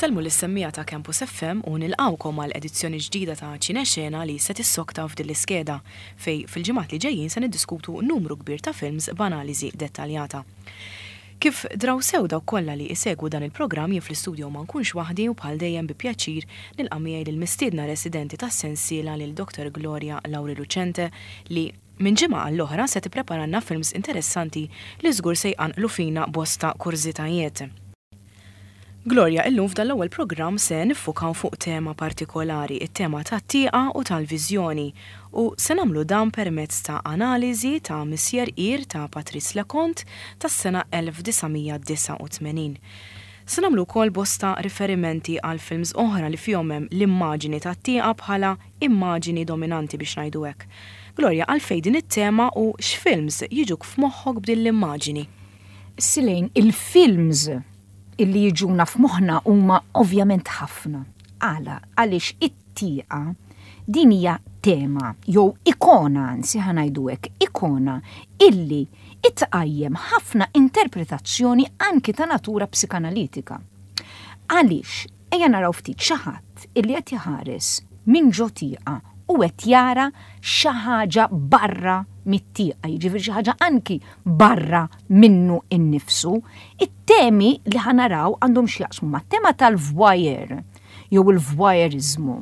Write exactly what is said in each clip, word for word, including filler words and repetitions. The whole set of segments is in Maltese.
Insellmu lis-semmiegħa ta' Campus F M u nilqawkom għal edizzjoni ġdida ta' Ċinexena li se tissokta f'din l-iskeda fej fil-ġimgħat li ġejjin se niddiskutu numru kbir ta' films b'analiżi dettaljata. Kif draw sew dawk kollha li isegwu dan il-programm, jien fl-istudio ma nkunx waħdi u bħal dejjem bi pjaċir nilqa' miegħi lill-mistiedna residenti tas-sensiela, lil Doctor Gloria Lauri Lucente, li minn ġimgħa għall-oħra se tippreparanna films interessanti li żgur se jqanqlu fina bosta kurżitajiet. Gloria, illum f'dan l-ewwel programm se niffukaw fuq tema partikolari, it-tema tat-tieqa u tal-viżjoni, u se nagħmlu dan permezz ta' analiżi ta' Monsieur Ir ta' Patrice Leconte tas-sena elf disa' mija disgħa u tmenin. Se nagħmlu wkoll bosta riferimenti għal films oħra li fihom hemm l-immaġini tat-tieqa bħala immaġini dominanti, biex ngħidu hekk. Gloria, għalfejn din it-tema u x'films jiġuk f'moħħok b'din l-immaġini? Silejn, il-films illi jiġuna f'moħħna huma ovvjament ħafna. Għala? Għaliex it-tieqa din hija tema, jew ikona, anzi ħa ngħidu hekk, ikona illi itqajjem ħafna interpretazzjoni anki ta' natura psikanalitika. Għaliex, ejja naraw ftit xi ħadd illi qed jħares minn ġo tieqa u qed jara xi ħaġa barra mit-tieqa, jiġifieri xi ħaġa anki barra minnu innifsu. It-temi li ħa naraw għandhom x'jaqsmu mat-tema tal-voyeur jew il-voyeurizmu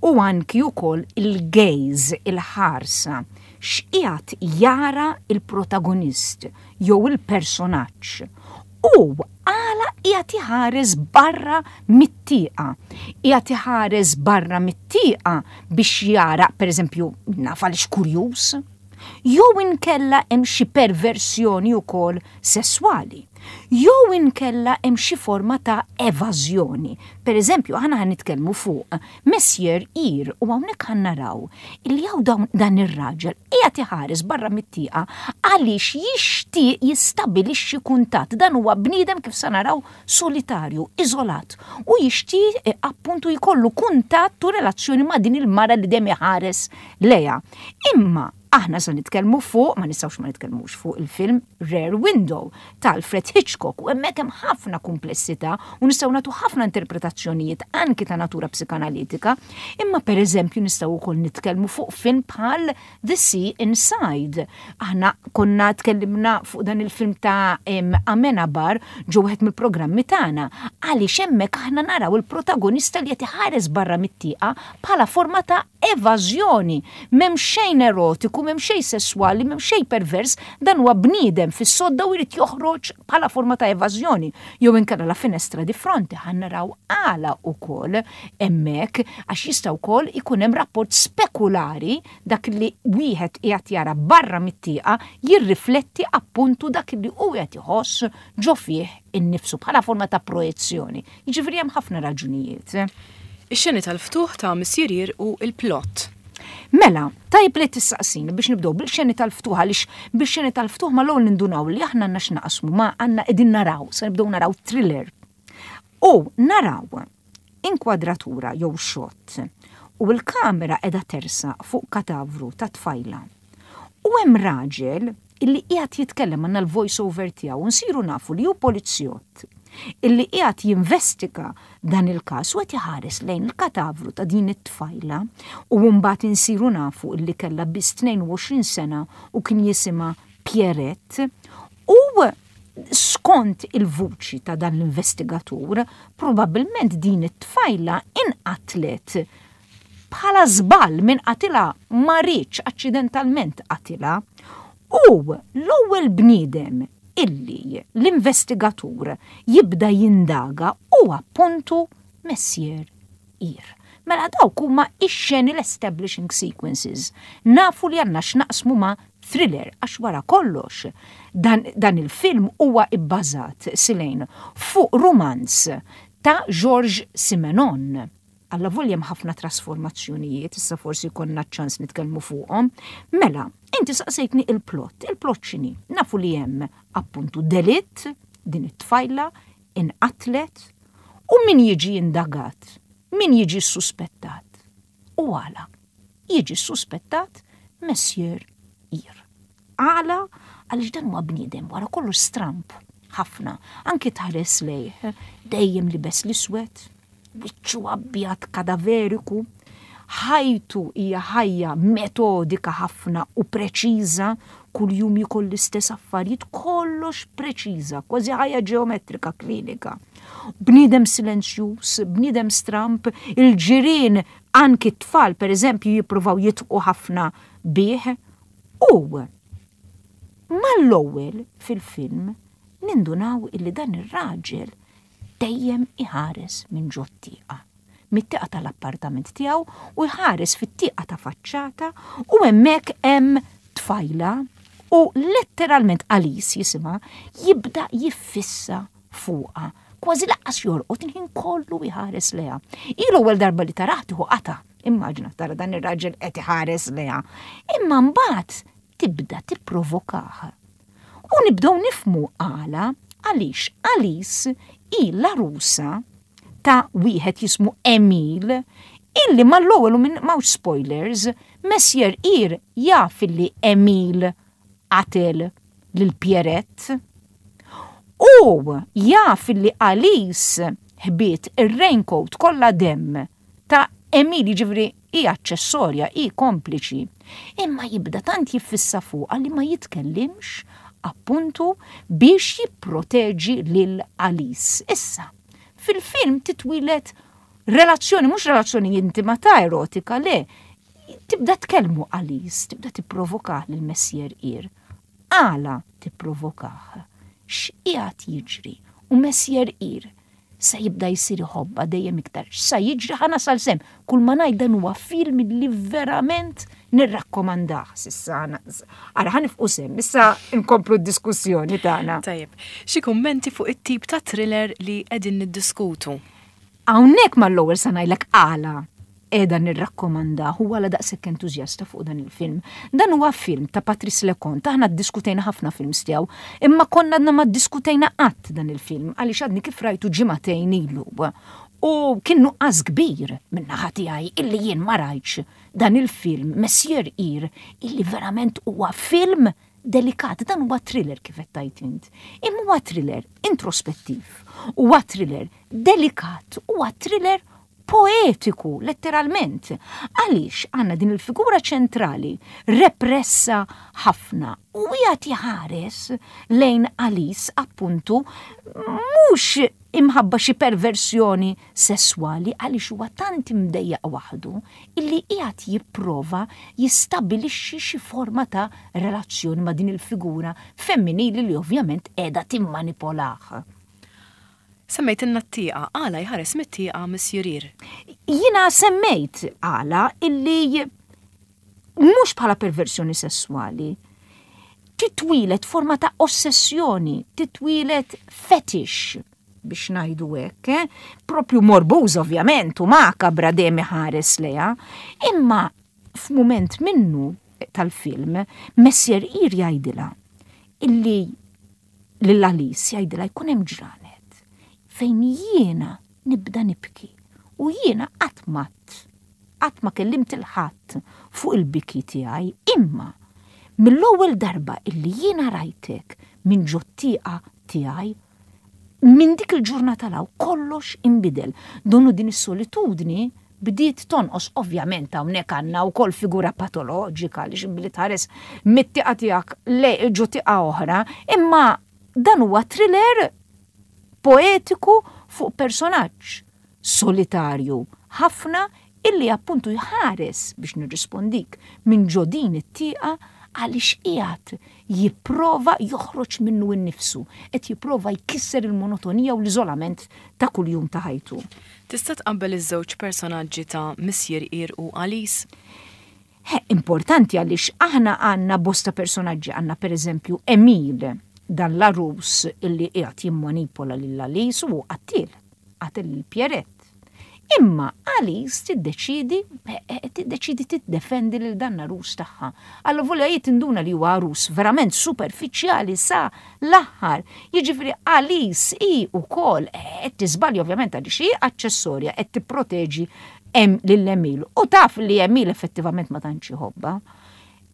u anki wkoll il-gaze, il-ħarsa, x'qiegħed jara il-protagonist jew il-personaġġ u għala qiegħed iħares barra mit-tieqa. Qiegħed iħares barra mit-tieqa biex jara, pereżempju, naf għaliex kurjuż, jew inkella hemm xi perversjoni wkoll sesswali, jew inkella hemm xi forma ta' evażjoni. Per eżempju, aħna ħa nitkellmu fuq Monsieur Ir u hawnhekk ħa naraw illi hawn dawn dan ir-raġel qiegħed iħares barra mit-tieqa għaliex jixtieq jistabilixxi kuntatt. Dan huwa bniedem, kif sa naraw, solitarju, iżolat u jixtieq eh, appuntu jkollu kuntatt u relazzjoni ma' din il-mara li dejjem iħares lejha. Imma aħna se nitkellmu fuq, ma nistgħux ma nitkellmux fuq il-film Rear Window ta' Alfred Hitchcock u hemmhekk hemm ħafna komplessità u nistgħu nagħtu ħafna interpretazzjonijiet anki ta' natura psikanalitika, imma per eżempju nistgħu wkoll nitkellmu fuq film bħal The Sea Inside. Aħna konna tkellimna fuq dan il-film ta' Amenabar ġo wieħed mill-programmi tagħna, għaliex hemmhekk aħna naraw il-protagonista li qed iħares barra mit-tieqa bħala forma ta' evażjoni. M'hemm xejn erotiku, m'hemm xejn sesswali, m'hemm xejn pervers, dan huwa bniedem fis-sodda u jrid joħroġ bħala forma ta' evażjoni. Jew inkella La finestra di fronte, ħa naraw għala ukoll hemmhekk, għax jista' wkoll ikun hemm rapport spekulari, dak li wieħed qiegħed jara barra mit-tieqa jirrifletti appuntu dak li hu qed iħoss ġo fih innifsu bħala forma ta' projezzjoni. Jiġifieri hemm ħafna raġunijiet. Ix-xeni tal-ftuħ ta' Monsieur Ir u il-plot. Mela, tajb li tistaqsini biex nibdew bil-xeni tal-ftuħ, għaliex bil-xeni tal-ftuħ ma l-ewwel nindunaw li aħna għandna x'naqsmu ma għandna qegħdin naraw, se nibdew naraw thriller. U naraw inkwadratura jew shot u l-kamera qiegħda tersaq fuq katavru ta' tfajla. U hemm raġel illi qiegħed jitkellem, għandna l-voice over tiegħu u nsiru nafu li hu polizzjott illi qiegħed jinvestiga dan il-każ u qed iħares lejn il-katavru ta' din it-tfajla u mbagħad insiru nafu illi kellha biss tnejn u għoxrin sena u kien jisimha Pierrette, u skont il-vuċi ta' dan l-investigatur, probabbilment din it-tfajla inqatlet bħala żball, min qatilha ma riedx, aċċidentalment qatilha. U l-ewwel bniedem illi l-investigatur jibda jindaga u appuntu Monsieur Ir. Mela dawk huma ix-xeni, l-establishing sequences. Nafu li għandna x'naqsmu ma' thriller għax wara kollox dan, dan il-film huwa ibbażat, Silejn, fuq romanz ta' Georges Simenon. Allavolja hemm ħafna trasformazzjonijiet, issa forsi konna ċans nitkellmu fuqhom. Mela, inti saqsejtni il-plot. Il-plot x'inhi? Nafu li hemm appuntu delitt, din it-tfajla inqatlet u min jiġi indagat, min jiġi suspettat. U għala? Jiġi suspettat Monsieur Ir. Għala? Għaliex dan huwa bniedem wara kollox stramp ħafna, anki tħares lejh, dejjem libes l-iswed. Wiċċu abjad kadaveriku, ħajtu hija ħajja metodika ħafna u preċiża, kuljum jiekol l-istess affarijiet, kollox preċiża, kważi ħajja ġeometrika klinika. Bniedem silenzjuż, bniedem stramp, il-ġirien, anki t-tfal per eżempju, jippruvaw jidħqu ħafna bih. U mal-ewwel fil-film nindunaw illi dan ir-raġel dejjem iħares minn ġot-tieqa. Mit-tieqa tal-appartament tiegħu u jħares fit-tieqa ta' faċċata u hemmhekk hemm tfajla u letteralment, Alice jisimha, jibda jiffissa fuqha. Kważi lanqas jorqod, il-ħin kollu jħares lejha. L-ewwel darba li tarah tieħu qata. Immaġina tara dan ir-raġel qed iħares lejha. Imma mbagħad tibda tipprovokah. U nibdew nifhmu għala, għaliex Alice hi l-arusa ta' wieħed jismu Emil, illi mal-ewwel, u minn m'hawnx spoilers, Monsieur Ir jaf illi Emil qatel lil Pierrette. U jaf illi Alice ħbiet ir-raincoat kollha demm ta' Emil, ġifieri hi aċċessorja, hi kompliċi. Imma jibda tant jiffissa fuqha li ma jitkellimx, appuntu biex jipproteġi lil Alice. Issa, fil-film titwieled relazzjoni, mhux relazzjoni intima ta' erotika, le, tibda tkellmu Alice, tibda tipprovokah lil Monsieur Ir. Għala tipprovokah? X'qiegħed jiġri? U Monsieur Ir sa jibda jisir iħobbha dejjem iktar. Sa jiġri, ħa nasal s'hemm. Kull ma ngħid, dan huwa film li verament nirrakkomandah s'issa. Ara, ħa nieqfu s'hemm, issa nkomplu d-diskussjoni tagħna. Tajjeb, xi kummenti fuq it-tip ta' thriller li qegħdin niddiskutu? Hawnhekk mal-ewwel sa ngħidlek għala qiegħda nirrakkomandah u għala daqshekk entużjasta fuq dan il-film. Dan huwa film ta' Patrice Leconte, aħna ddiskutejna ħafna films tiegħu, imma konna għadna ma ddiskutejna qatt dan il-film għaliex għadni kif rajtu ġimagħtejn ilu. U kien nuqqas kbir minn naħa tiegħi illi jien ma rajtx dan il-film Monsieur Ir, illi verament huwa film delikat, dan huwa thriller kif qed tgħid int. Imma huwa thriller introspettiv, huwa thriller delikat, huwa thriller poetiku, letteralment. Għaliex għandna din il-figura ċentrali repressa ħafna u qiegħed jħares lejn Alice, appuntu mhux imħabba xi perversjoni sesswali, għaliex huwa tant imdejjaq waħdu illi qiegħed jipprova jistabilixxi xi forma ta' relazzjoni ma' din il-figura femminili li ovvjament qiegħda timmanipolah. Semmejt t-tieqa, għala jħares mit-tieqa Monsieur Ir? Jiena semmejt għala illi mhux bħala perversjoni sessuali, titwieled forma ta' ossessjoni, titwieled fetish biex ngħidu hekk, eh? Propju morbuż ovvjament u makabra, dejjem iħares lejha, imma f'mument minnu tal-film Monsieur Ir jgħidilha illi lil Alice jgħidilha jkun hemm ġranet fejn jiena nibda nibki u jiena qatt ma qatt ma kellimt lil ħadd fuq il-biki tiegħi, imma mill-ewwel darba illi jiena rajtek minn ġot-tieqa tiegħi, minn dik il-ġurnata 'l hawn kollox imbidel. Donu din is-solitudni bdiet tonqos. Ovvjament hawnhekk għandna wkoll figura patoloġika li billi tħares mit-tieqa tiegħek le ġo tieqa oħra, imma dan huwa thriller poetiku fuq personaġġ solitarju ħafna illi appuntu jħares, biex nirrispondik, minn ġo din it-tieqa għaliex qiegħed jipprova joħroġ minnu innifsu, qed jipprova jkisser il-monotonija u l-iżolament ta' kuljum ta' ħajtu. Tista' tqabbel iż-żewġ personaġġi ta' Monsieur Ir u Alice? He, importanti għaliex aħna għandna bosta personaġġi, għandna per eżempju Emil, dan l-arus illi qiegħed jimmanipola lil Alice u qattil, qatel lil Pierrette. Imma Alice tiddeċidi, eh, eh, tiddeċidi tiddefendi lil dan l-arus tagħha. Allavolja hi tinduna li huwa arus verament superfiċjali sa l-aħħar. Jiġifieri Alice hi wkoll qed tiżbalja ovvjament għaliex hi aċċessorja, qed tipproteġi lil Emil u taf li Emil effettivament ma tantx iħobbha.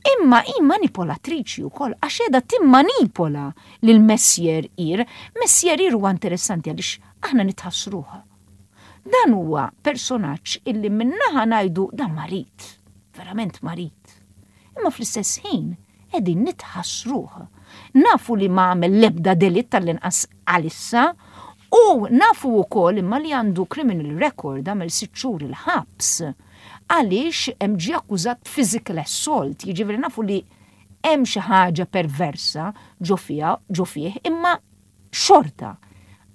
Imma hi manipolatriċi wkoll għax qiegħda timmanipola lil Monsieur Ir. Monsieur Ir huwa interessanti għaliex aħna nitħassruha. Dan huwa personaġġ illi min-naħa ngħidu dan marid, verament marid. Imma fl-istess ħin qegħdin nitħassruh. Nafu li ma għamel l-ebda delitt, tal-inqas għalissa, u nafu wkoll imma li għandu criminal record, għamel sitt xhur il-ħabs għaliex hemm ġie akkużat physical assault, jiġifieri nafu li hemm xi ħaġa perversa ġo fiha, ġo fih, imma xorta.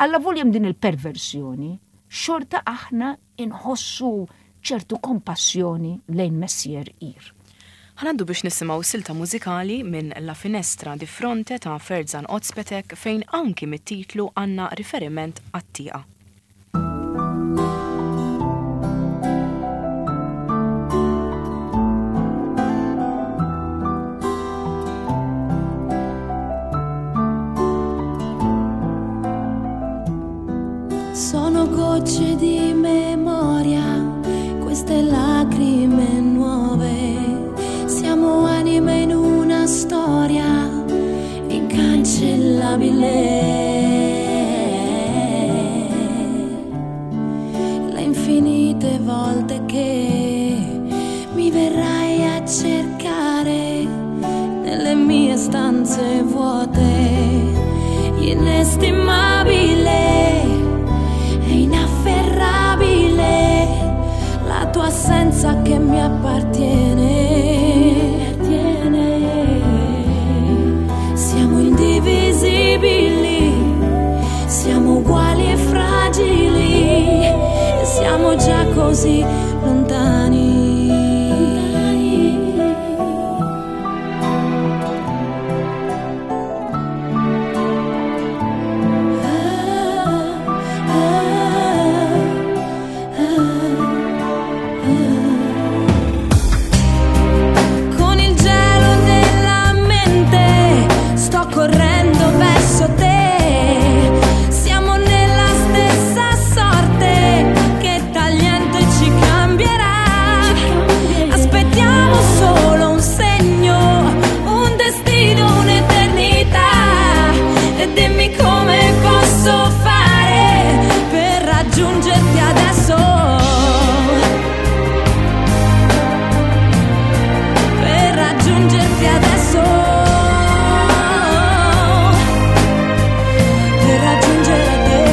Allavolja hemm din il-perversjoni, xorta aħna inħossu ċertu kompassjoni lejn Messier Ir. Ħa ngħaddu biex nisimgħu silta mużikali minn La Finestra di Fronte ta' Ferzan Ozpetek, fejn anki mit-titlu għandna riferiment għat-tieqa. Sono gocce di memoria, queste lacrime nuove. Siamo anime in una storia incancellabile. Le infinite volte che mi verrai a cercare nelle mie stanze vuote, inestimabile e inafferrabile la tua assenza che mi appartiene. Siamo indivisibili, siamo uguali e fragili, e siamo già così lontani. Con il gelo nella mente sto correndo verso te. Siamo nella stessa sorte che tagliente ci cambierà. Aspettiamo solo un segno, un destino, un'eternità. E dimmi come posso fare per raggiungerti adesso. Per raggiungerti adesso. Per raggiungere te.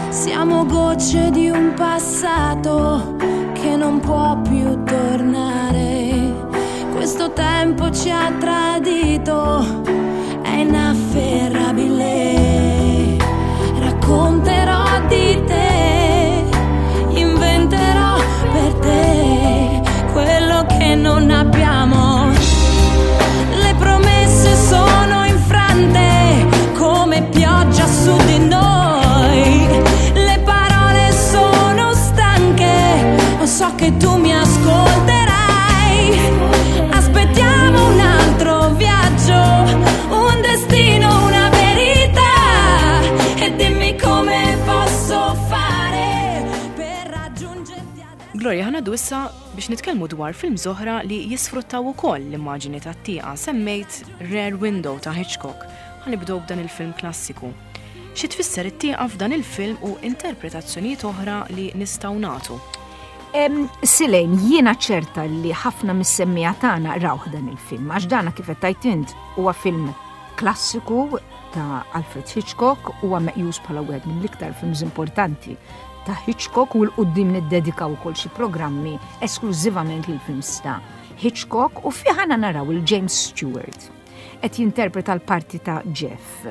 Siamo gocce di un passato che non può più tornare. Questo tempo ci ha tradito, è inafferrabile. Racconterò di te, inventerò per te quello che non abbiamo. Le promesse sono infrante come pioggia su di noi. Le parole sono stanche, so che tu mi ascolterai. Aspettiamo un altro viaggio, un destino, una verità. E dimmi come posso fare per raggiungerti adesso. Gloria, ħa ngħaddu issa biex nitkellmu dwar films oħra li jisfruttaw ukoll l-immaġini tat-tieqa. Semmejt Rear Window ta' Hitchcock. Ħa nibdew b'dan il-film klassiku. Xi tfisser it-tieqa f'dan il-film u interpretazzjonijiet oħra li nistgħu nagħtu? Em, Silejn, jiena ċerta li ħafna mis-semmiegħa tagħna rawh dan il-film, għax dana kif qed tgħid int huwa film klassiku ta' Alfred Hitchcock, huwa meqjus bħala wieħed mill-iktar films importanti ta' Hitchcock, u 'l quddiem niddedikaw ukoll xi programmi esklużivament lil films ta' Hitchcock, u fih aħna naraw il-James Stewart qed jinterpreta l-parti ta' Jeff.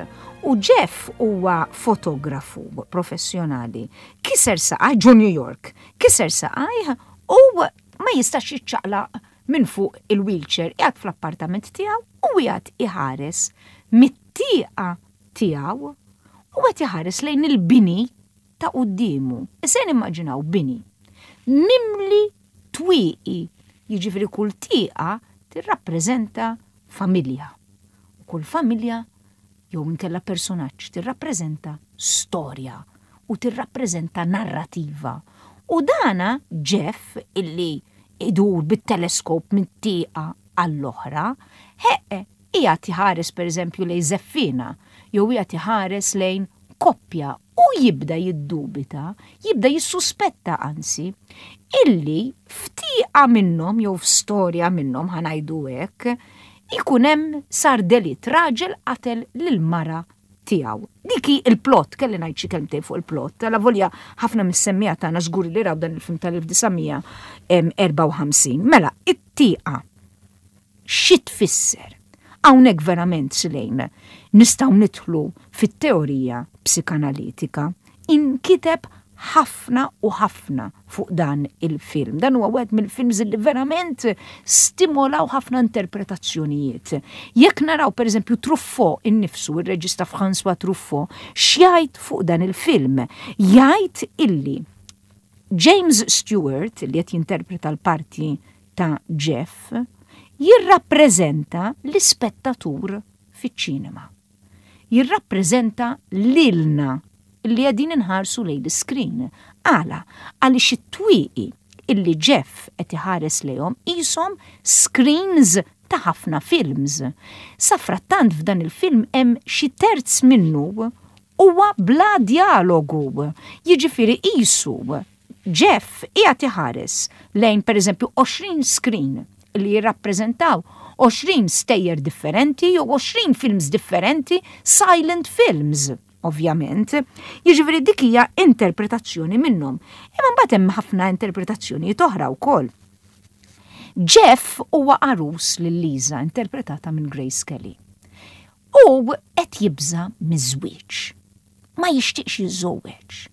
U Jeff huwa fotografu professjonali. Kiser saqaj ġo New York, kiser saqaj u ma jistax jiċċaqlaq minn fuq il-wheelchair, qiegħed fl-appartament tiegħu u qiegħed iħares mit-tieqa tiegħu u qed iħares lejn il-bini ta' quddiemu. Issa nimmaġinaw bini mimli twieqi, jiġifieri kull tieqa tirrappreżenta familja. U kull familja jew inkella personaġġ tirrappreżenta storja u tirrappreżenta narrativa. U dana Jeff illi idur bit-teleskop minn tieqa għall-oħra, heqe, qiegħed iħares pereżempju lejn żeffiena, jew qiegħed iħares lejn koppja u jibda jiddubita, jibda jissuspetta anzi, illi f'tieqa minnhom jew f'storja minnhom, ħa ngħidu hekk, ikun hemm sar delitt, raġel qatel lil mara tiegħu. Dik hi il-plot, kelli ngħid xi kelmtejn fuq il-plot, avolja ħafna mis-semmiegħa tagħna żgur li raw dan il-film tal-elf disa' mija erbgħa u ħamsin. Mela, it-tieqa xi tfisser? Hawnhekk verament, Silejn, nistgħu nidħlu fit-teorija psikanalitika. Inkiteb ħafna u ħafna fuq dan il-film. Dan huwa wieħed mill-films li verament stimolaw ħafna interpretazzjonijiet. Jekk naraw pereżempju Truffaut innifsu, ir-reġista François Truffaut, x'jgħid fuq dan il-film? Jgħid illi James Stewart, li qed jinterpreta l-parti ta' Jeff, jirrappreżenta l-ispettatur fiċ-ċinema. Jirrappreżenta lilna li qegħdin inħarsu lejn l-screen. Għala? Għaliex it-twieqi illi Jeff qed iħares lejhom qishom screens ta' ħafna films. Safrattant f'dan il-film hemm xi terz minnu huwa bla dialogu. Jiġifieri qisu Jeff qiegħed iħares lejn pereżempju għoxrin screen li jirrappreżentaw għoxrin stejjer differenti u għoxrin films differenti, silent films ovvjament. Jiġifieri dik hija interpretazzjoni minnhom. Imma mbagħad hemm ħafna interpretazzjonijiet oħra wkoll. Jeff huwa għarus lil Lisa, interpretata minn Grace Kelly. U qed jibża miż-żwieġ. Ma jixtieqx jiżżewweġ.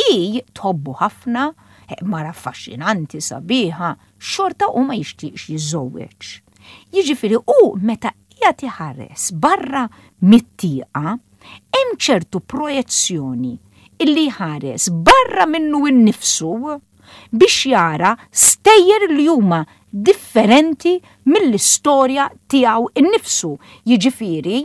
Hi tħobbu ħafna, mara affaxxinanti, sabiħa, xorta u ma jixtieqx jiżżewweġ. Jiġifieri u meta qiegħed iħares barra mit-tieqa, hemm ċertu projezzjoni illi jħares barra minnu innifsu biex jara stejjer li huma differenti mill-istorja tiegħu innifsu. Jiġifieri,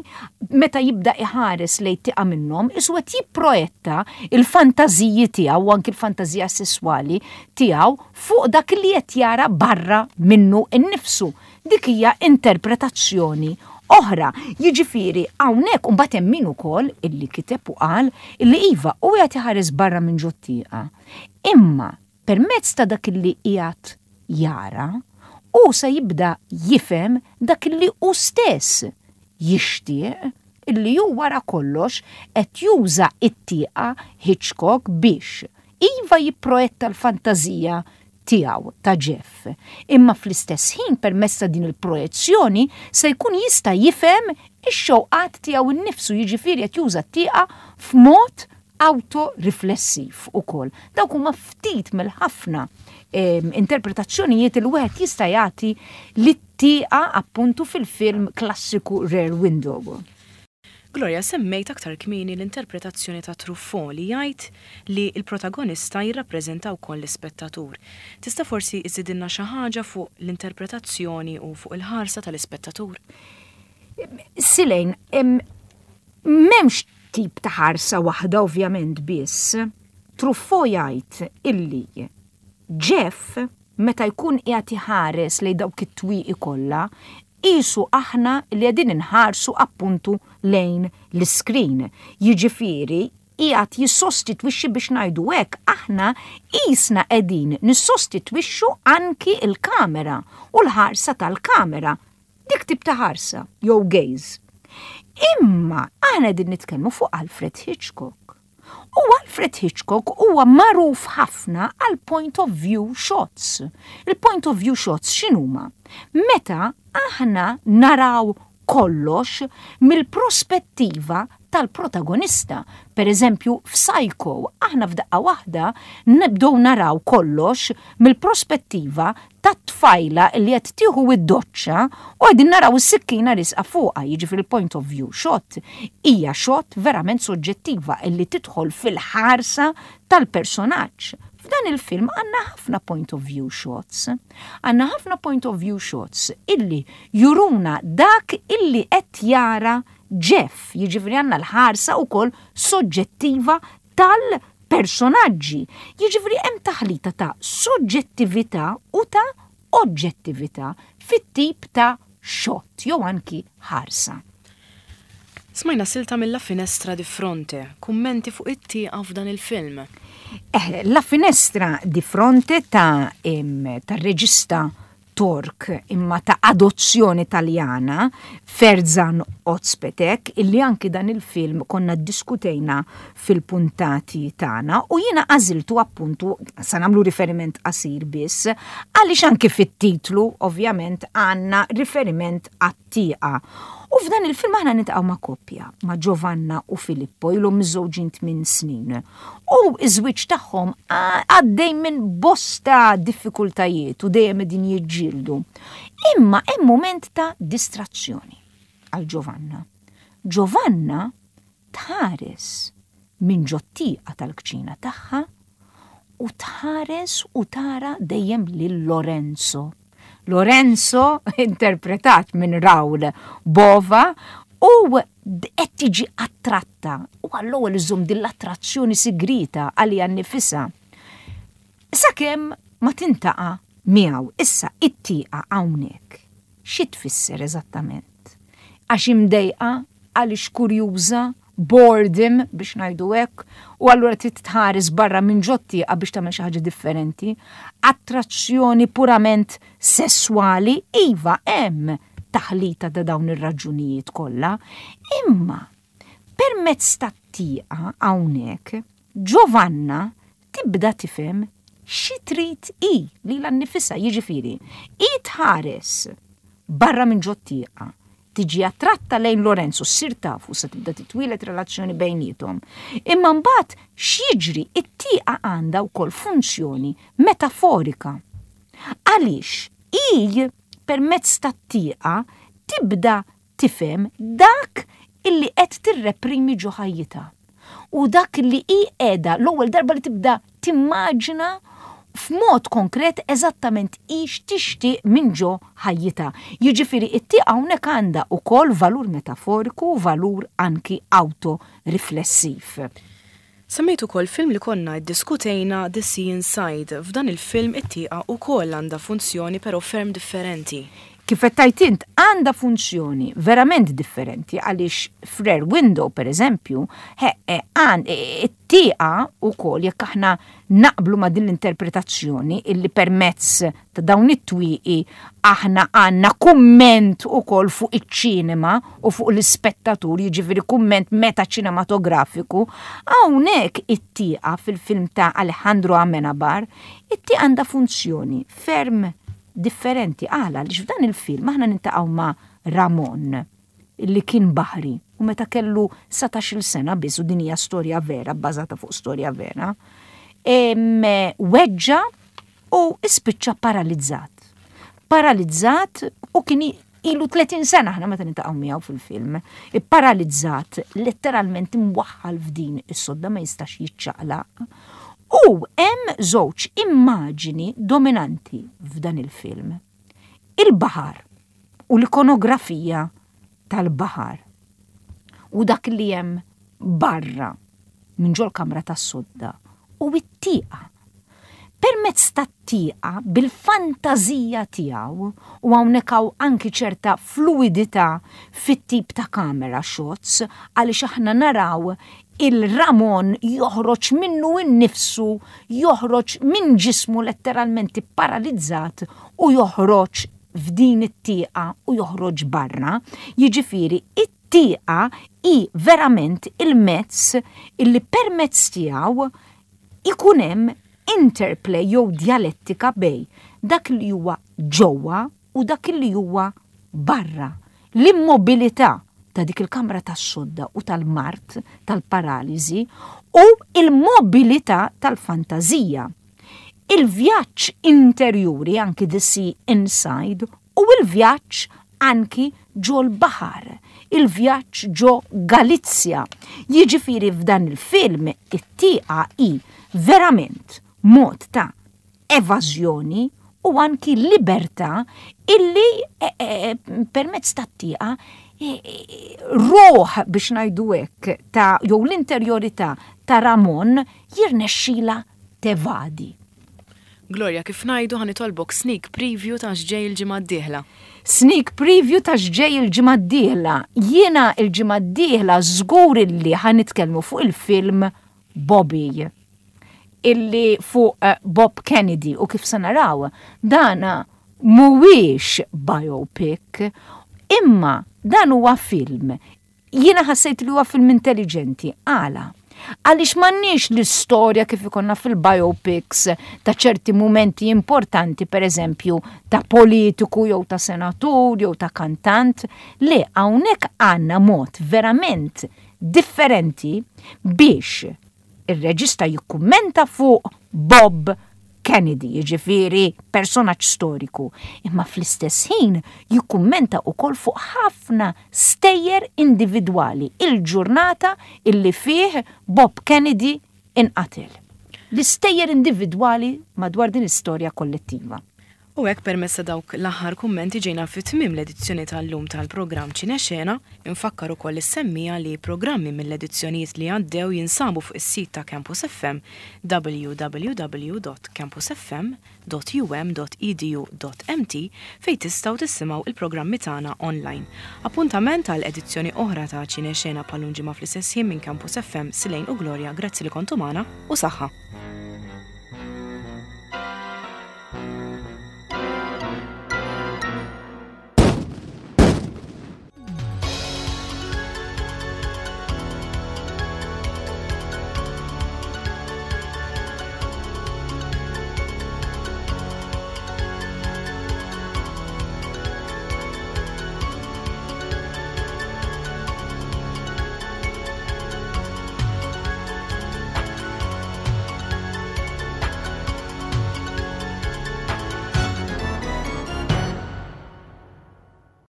meta jibda iħares lejn tieqa minnhom, qisu qed jipprojetta il-fantażiji tiegħu u anki l-fantażija sesswali tiegħu fuq dak li qed jara barra minnu innifsu. Dik hija interpretazzjoni oħra. Jiġifieri hawnhekk imbagħad hemm min ukoll illi kiteb u qal illi iva, u qed iħares barra minn ġot-tieqa. Imma permezz ta' dak illi qiegħed jara, u se jibda jifhem dak illi hu stess jixtieq, illi hu wara kollox qed juża it-tieqa Hitchcock biex iva jipprojetta l-fantażija tiegħu ta' Jeff. Imma fl-istess ħin, permezz ta' din il-projezzjoni, se jkun jista' jifhem ix-xewqat tiegħu innifsu, jiġifieri qed juża t-tieqa f'mod autoriflessiv ukoll. Dawk huma ftit mill-ħafna interpretazzjonijiet li wieħed jista' jagħti lit-tieqa appuntu fil-film klassiku Rear Window. Gloria, semmejt aktar kmieni l-interpretazzjoni ta' Truffaut li jgħid li l-protagonista jirrappreżenta wkoll l-ispettatur. Tista' forsi iżidilna xi ħaġa fuq l-interpretazzjoni u fuq il-ħarsa tal-ispettatur? Silejn, m'hemmx tip ta' ħarsa waħda ovvjament biss. Truffaut jgħid illi Jeff meta jkun qiegħed iħares lejn dawk it-twieqi kollha, qisu aħna li qegħdin inħarsu appuntu lejn l-screen. Jiġifieri qiegħed jissostitwixxi, biex ngħidu hekk, aħna qisna qegħdin nissostitwixxu anki il-kamera u l-ħarsa tal-kamera. Dik tip ta' ħarsa jew gaze. Imma aħna qegħdin nitkellmu fuq Alfred Hitchcock. U Alfred Hitchcock huwa magħruf ħafna għal point of view shots. Il-point of view shots x'inhuma? Meta aħna naraw kollox mill-prospettiva tal-protagonista. Per eżempju, f'Psycho, aħna f'daqqa waħda nibdew naraw kollox mill-prospettiva tat-tfajla li qed tfajla li qed tieħu id-doċċa u qegħdin naraw is-sikkina riesqa fuqha, jiġifieri il-point of view shot hija shot verament soġġettiva illi tidħol fil-ħarsa tal-personaġġ. F'dan il-film għandna ħafna point of view shots. Għandna ħafna point of view shots illi juruna dak illi qed jara Jeff, jiġifieri għandna l-ħarsa wkoll soġġettiva tal-personaġġi. Jiġifieri hemm taħlita ta' soġġettività u ta' oġġettività fit-tip ta' shot jew anki ħarsa. Smajna silta mill La Finestra di Fronte, kummenti fuq it-tieqa f'dan il-film. Eh, La Finestra di Fronte ta' em, ta' reġista Tork imma ta' adozzjoni taljana, Ferzan Ozpetek, illi anki dan il-film konna diskutejna fil-puntati tagħna u jiena għażiltu appuntu, sa nagħmlu riferiment qasir biss, għaliex anki fit-titlu ovvjament għandna riferiment għat-tieqa. U f'dan il-film aħna niltaqgħu ma' koppja, ma' Giovanna u Filippo, ilhom miżżewġin tmien snin. U iż-żwieġ tagħhom għaddej minn bosta diffikultajiet u dejjem qegħdin jiġġieldu. Imma hemm moment ta' distrazzjoni għal Giovanna. Giovanna tħares minn ġot-tieqa tal-kċina tagħha u tħares u tara dejjem lil Lorenzo. Lorenzo, interpretat minn Raul Bova, u qed tiġi attratta u għall-ewwel iżomm din l-attrazzjoni sigrita għalija nnifisha. Sakemm ma tiltaqa' miegħu. Issa it-tieqa hawnhekk. Xi tfisser eżattament? Għax imdejqa, għaliex kurjuża, boredom biex ngħidu hekk, u allura trid tħares barra minn ġot-tieqa biex tagħmel xi ħaġa differenti. Attrazzjoni purament sessuali, iva hemm taħlita ta' dawn ir-raġunijiet kollha, imma permezz tat-tieqa hawnhekk Giovanna tibda tifhem xi trid hi lilha nnifisha, jiġifieri hi tħares barra minn ġot-tieqa, tiġi attratta lejn Lorenzo, ssir tafu, se tibda titwieled relazzjoni bejniethom. Imma mbagħad x'jiġri? It-tieqa għandha wkoll funzjoni metaforika. Għaliex hi permezz tat-tieqa tibda tifhem dak illi qed tirreprimi ġo ħajjitha. U dak li hi qiegħda l-ewwel darba li tibda timmaġina f'mod konkret eżattament ix tixtieq minn ġo ħajjitha. Jiġifieri it-tieqa hawnhekk għandha wkoll valur metaforiku u valur anki autoriflessiv. Semmejt ukoll film li konna iddiskutejna, The Sea Inside. F'dan il-film it-tieqa ukoll għandha funzjoni, però ferm differenti. Kif qed tgħid int, għandha funzjoni verament differenti għaliex f'Rear Window, per eżempju, it-tieqa ukoll, jekk aħna naqblu ma' din l-interpretazzjoni illi permezz ta' dawn it-twieqi aħna għandna kumment ukoll fuq iċ-ċinema u fuq l-ispettatur, jiġifieri kumment meta ċinematografiku, hawnhekk it-tieqa fil-film ta' Alejandro Amenabar, it-tieqa għandha funzjoni ferm differenti. Għala? Għaliex f'dan il-film aħna niltaqgħu ma' Ramon illi kien baħri u meta kellu satax-il sena biss, u din hija storja vera, bbażata fuq storja vera, weġġa u ispiċċa paralizzat. Paralizzat u kien ilu tletin sena aħna meta niltaqgħu miegħu fil-film. Paralizzat, letteralment imwaħħal f'din is-sodda, ma jistax jiċċaqlaq. U hemm żewġ immaġini dominanti f'dan il-film. Il-baħar u l-ikonografija tal-baħar u dak li hemm barra minn ġol kamra tas-sodda u it-tieqa. Permezz tat-tieqa bil-fantażija tiegħu, u hawnhekk hawn anki ċerta fluidità fit-tip ta' camera shots għaliex aħna naraw il-Ramon joħroġ minnu innifsu, joħroġ minn ġismu letteralment paralizzat u joħroġ f'din it-tieqa u joħroġ barra. Jiġifieri it-tieqa hi verament il-mezz illi permezz tiegħu ikun hemm interplay jew dialettika bejn dak li huwa ġewwa u dak li huwa barra. L-immobilità ta' dik il-kamra tas-sodda u tal-mard, tal-paraliżi, u il-mobilità tal-fantażija. Il-vjaġġ interjuri, anki the sea inside, u il-vjaġġ anki ġol baħar, il-vjaġġ ġo Galizja. Jiġifieri f'dan il-film it-tieqa hi verament mod ta' evażjoni u anki libertà illi e, e, permezz tat-tieqa e, ruħ, biex ngħidu hekk, ta' jew l-interjorità ta' Ramon jirnexxila tevadi. Gloria, kif ngħidu, ħa nitolbok sneak preview ta' x'ġej il-ġimgħa d-dieħla. Sneak preview ta' x'ġej il-ġimgħa d-dieħla. Jiena il-ġimgħa d-dieħla żgur illi ħa nitkellmu fuq il-film Bobby, illi fuq eh, Bob Kennedy, u kif se naraw dana mhuwiex biopic, imma dan huwa film. Jiena ħassejt li huwa film intelligenti. Għala? Għaliex m'għandniex l-istorja kif ikollna fil-biopics ta' ċerti momenti importanti, per eżempju, ta' politiku jew ta' senatur jew ta' kantant. Le, hawnhekk għandna mod verament differenti biex ir-reġista jikkummenta fuq Bob Kennedy, jiġifieri personaġġ storiku, imma fl-istess ħin jikkummenta wkoll fuq ħafna stejjer individwali il-ġurnata illi fih Bob Kennedy inqatel. L-istejjer individwali madwar din istorja kollettiva. U hekk, permezz ta' dawk l-aħħar kummenti, ġejna fi tmiem l-edizzjoni tal-lum tal-programm Ċinexena. Infakkar ukoll is-semmiegħa li programmi mill-edizzjonijiet li għaddew jinsabu fuq is-sit ta' Campus F M, w w w punt campusfm punt um punt edu punt m t, fejn tistgħu tisimgħu il-programmi tagħna online. Appuntament għal edizzjoni oħra ta' Ċinexena bħal ġimgħa fl-istess ħin minn Campus F M. Silejn u Gloria, grazzi li kontu magħna u saħħa.